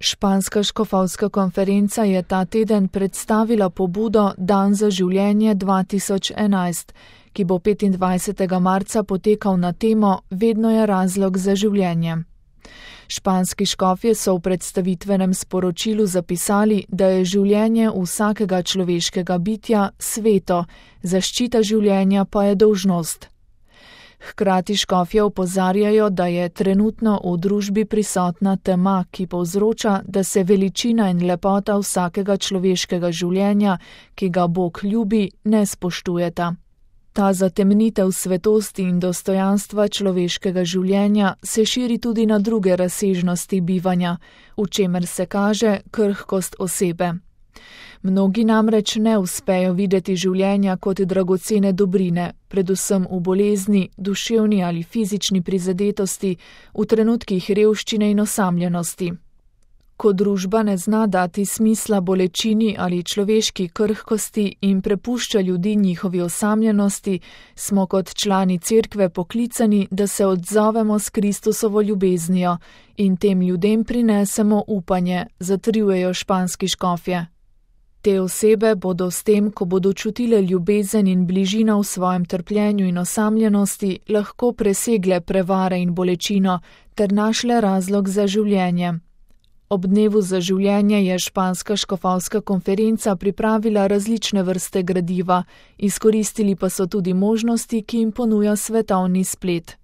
Španska škofovska konferenca je ta teden predstavila pobudo Dan za življenje 2011, ki bo 25. marca potekal na temo Vedno je razlog za življenje. Španski škofje so v predstavitvenem sporočilu zapisali, da je življenje vsakega človeškega bitja sveto, zaščita življenja pa je dolžnost. Hkrati škofje opozarjajo, da je trenutno v družbi prisotna tema, ki povzroča, da se veličina in lepota vsakega človeškega življenja, ki ga Bog ljubi, ne spoštujeta. Ta zatemnitev svetosti in dostojanstva človeškega življenja se širi tudi na druge razsežnosti bivanja, v čemer se kaže krhkost osebe. Mnogi namreč ne uspejo videti življenja kot dragocene dobrine, predvsem v bolezni, duševni ali fizični prizadetosti, v trenutkih revščine in osamljenosti. Ko družba ne zna dati smisla bolečini ali človeški krhkosti in prepušča ljudi njihovi osamljenosti, smo kot člani cerkve poklicani, da se odzovemo s Kristusovo ljubeznijo in tem ljudem prinesemo upanje, zatrjujejo španski škofje. Te osebe bodo s tem, ko bodo čutile ljubezen in bližino v svojem trpljenju in osamljenosti, lahko presegle prevare in bolečino ter našle razlog za življenje. Ob dnevu za življenje je španska škofovska konferenca pripravila različne vrste gradiva, izkoristili pa so tudi možnosti, ki jim ponuja svetovni splet.